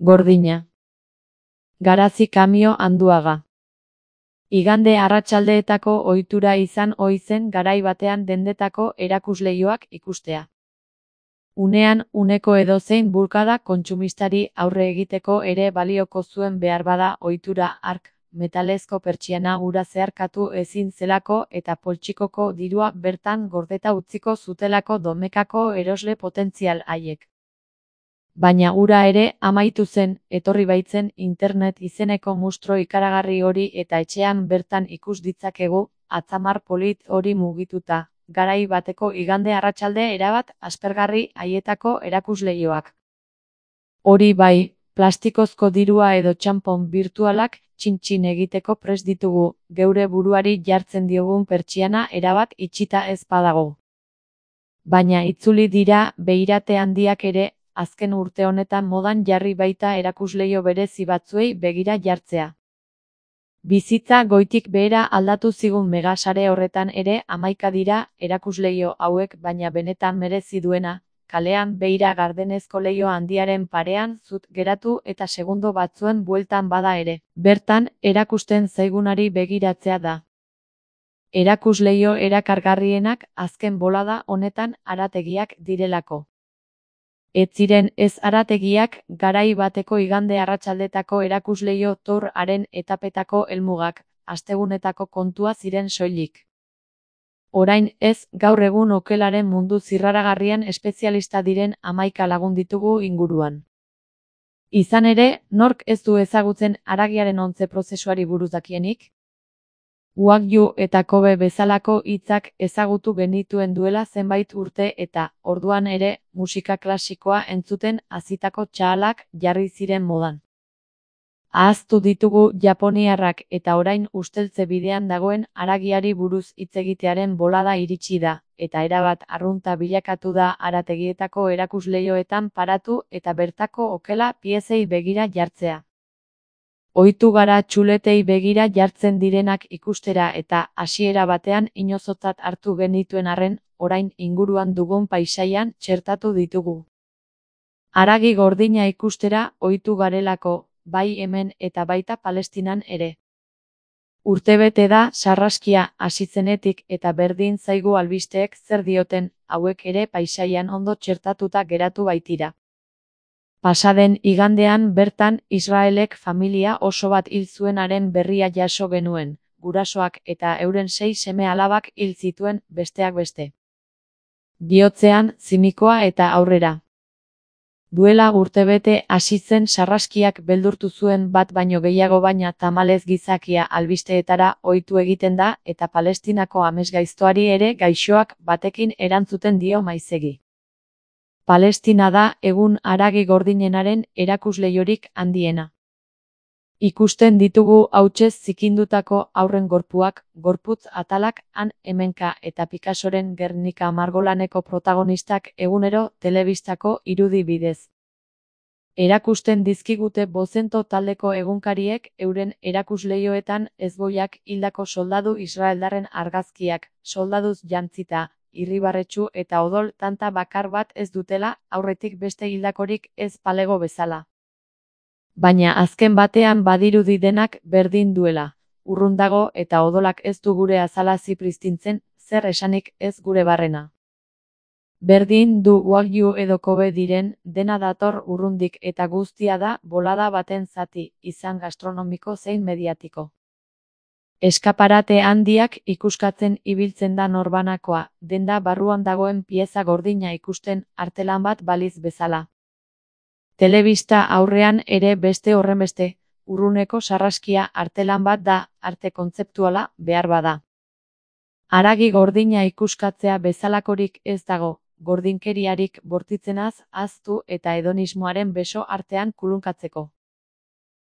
Gordina. Garazi Kamio Anduaga. Igande arratsaldeetako ohitura izan ohi zen garai batean dendetako erakusleihoak ikustea. Unean uneko edozein bulkada kontsumistari aurre egiteko ere balioko zuen beharbada ohitura hark, metalezko pertsiana ura zeharkatu ezin zelako eta poltsikoko dirua bertan gordeta utziko zutelako domekako erosle potentzial haiek. Baina ura ere amaitu zen, etorri baitzen internet izeneko mustro ikaragarri hori eta etxean bertan ikus ditzakegu, atzamar polit hori mugituta, garai bateko igande arratsalde erabat aspergarri haietako erakusleihoak. Hori bai, plastikozko dirua edo txanpon birtualak txin-txin egiteko prest ditugu, geure buruari jartzen diogun pertsiana erabat itxita ez badago. Baina itzuli dira beirate handiak ere, azken urte honetan modan jarri baita erakusleiho berezi batzuei begira jartzea. Bizitza goitik behera aldatu zigun megasare horretan ere 11 dira erakusleiho hauek baina benetan merezi duena, kalean beira gardenezko leiho handiaren parean zut geratu eta segundo batzuen bueltan bada ere, bertan erakusten zaigunari begiratzea da. Erakusleiho erakargarrienak azken bolada honetan harategiak direlako. Ez ziren ez harategiak garai bateko igande arratsaldetako erakusleiho tour haren etapetako helmugak, astegunetako kontua ziren soilik. Orain ez, gaur egun okelaren mundu zirraragarrian espezialista diren 11 lagun ditugu inguruan. Izan ere, nork ez du ezagutzen haragiaren ontze prozesuari buruz dakienik? Wagyu eta Kobe bezalako hitzak ezagutu genituen duela zenbait urte eta, orduan ere, musika klasikoa entzuten hazitako txahalak jarri ziren modan. Ahaztu ditugu japoniarrak eta orain usteltze bidean dagoen haragiari buruz hitz egitearen bolada iritsi da, eta erabat arrunta bilakatu da harategietako erakusleihoetan paratu eta bertako okela piezei begira jartzea. Ohitu gara txuletei begira jartzen direnak ikustera eta hasiera batean inozotzat hartu genituen arren, orain inguruan dugun paisaian txertatu ditugu. Haragi gordina ikustera ohitu garelako, bai hemen eta baita Palestinan ere. Urtebete da sarraskia hasi zenetik eta berdin zaigu albisteek zer dioten, hauek ere paisaian ondo txertatuta geratu baitira. Pasaden igandean bertan Israelek familia oso bat hil zuenaren berria jaso genuen, gurasoak eta euren 6 seme-alabak hil zituen besteak beste. Bihotzean, zimikoa eta aurrera. Duela urtebete hasi zen sarraskiak beldurtu zuen bat baino gehiago baina tamalez gizakia albisteetara ohitu egiten da eta Palestinako amesgaiztoari ere gaixoak batekin erantzuten dio maizegi. Palestina da egun haragi gordinenaren erakusleihorik handiena. Ikusten ditugu hautsez zikindutako haurren gorpuak, gorputz atalak han hemenka eta Picassoren Gernika margolaneko protagonistak egunero telebistako irudi bidez. Erakusten dizkigute Bozento taldeko egunkariek euren erakusleihoetan ezgoiak hildako soldadu israeldarren argazkiak, soldaduz jantzita, irribarretsu eta odol tanta bakar bat ez dutela, aurretik beste hildakorik ez palego bezala. Baina azken batean badirudi denak berdin duela, urrun dago eta odolak ez du gure azala zipristintzen, zer esanik ez gure barrena. Berdin du Wagyu edo Kobe diren, dena dator urrundik eta guztia da bolada baten zati, izan gastronomiko zein mediatiko. Eskaparate handiak ikuskatzen ibiltzen da norbanakoa, denda barruan dagoen pieza gordina ikusten artelan bat baliz bezala. Telebista aurrean ere beste horrenbeste, urruneko sarraskia artelan bat da, arte kontzeptuala behar bada. Haragi gordina ikuskatzea bezalakorik ez dago, gordinkeriarik bortitzenaz ahaztu eta hedonismoaren beso artean kulunkatzeko.